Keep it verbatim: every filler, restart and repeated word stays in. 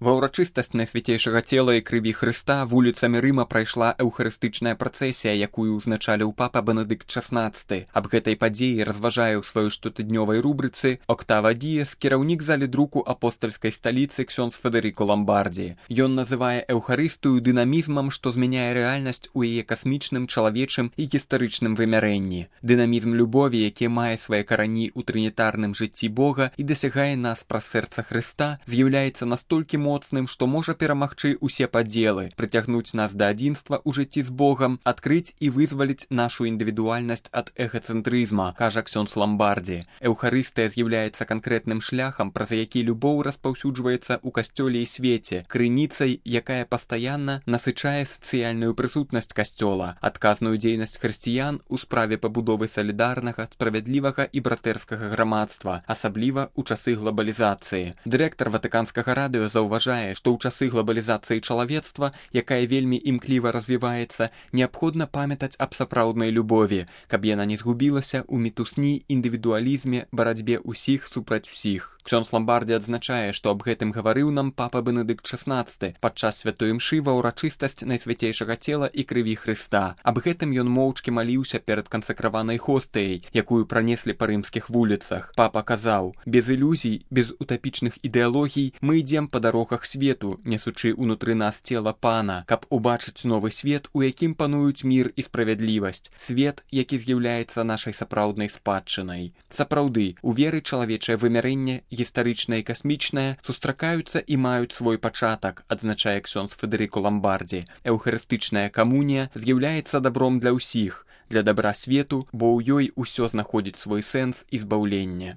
Ва ўрачыстасць найсвяцейшага цела і крыві Хрыста вуліцамі Рыма прайшла эўхарыстычная працэсія, якую ўзначаліў папа Бенедыкт шаснаццаты. Аб гэтай падзеі разважае ў сваёй штотыднёвай рубрыцы «Октава Діес» кіраўнік залі друку апостальскай сталіцы ксёндз Федэрыко Ламбардзі. Ён называе эўхарыстыю дынамізмам, што змяняе рэальнасць у яе касмічным, чалавечым і гістарычным вымярэнні. Дынамізм любові, які мае свае карані ў трынітарным жыцці Бога і дасягае нас праз сэрца Хрыста, з'яўляецца настолькі моцным, што можа перамагчы ўсе падзелы, прыцягнуць нас да адзінства ў жыцці з Богам, адкрыць і вызваліць нашу індывідуальнасць ад эгацэнтрызма, кажа ксёндз Ламбардзі. Эўхарыстыя з'яўляецца канкрэтным шляхам, праз які любоў распаўсюджваецца ў касцёле і свеце, крыніцай, якая пастаянна насычае сацыяльную прысутнасць касцёла, адказную дзейнасць хрысціян у справе пабудовы салідарнага, справядлівага і братэрскага грамадства, асабліва ў часы глабалізацыі. Дырэктар Ватыканскага радыё заўважае, што ў часы глабалізацыі чалавецтва, якая вельмі імкліва развіваецца, неабходна памятаць аб сапраўднай любові, каб яна не згубілася ў мітусні, індывідуалізме, барацьбе ўсіх супраць усіх. Ксёндз Ламбардзі адзначае, што аб гэтым гаварыў нам папа Бенедыкт шаснаццаты падчас святой імшы ва ўрачыстасць найсвяцейшага цела і крыві Хрыста. Аб гэтым ён моўчкі маліўся перад кансакраванай хостыяй, якую пранеслі па рымскіх вуліцах. Папа казаў: «Без ілюзій, без утапічных ідэалогій мы ідзем па дарогах свету, несучы ўнутры нас цела Пана, каб убачыць новы свет, у якім пануюць мір і справядлівасць, свет, які з'яўляецца нашай сапраўднай спадчынай». Сапраўды, у веры чалавечае вымярэнне, гістарычнае і касмічнае, сустракаюцца і маюць свой пачатак, адзначае ксёндз Федэрыко Ламбардзі. Эўхарыстычная камунія з'яўляецца дабром для ўсіх, для дабра свету, бо ў ёй усё знаходзіць свой сэнс і збаўленне.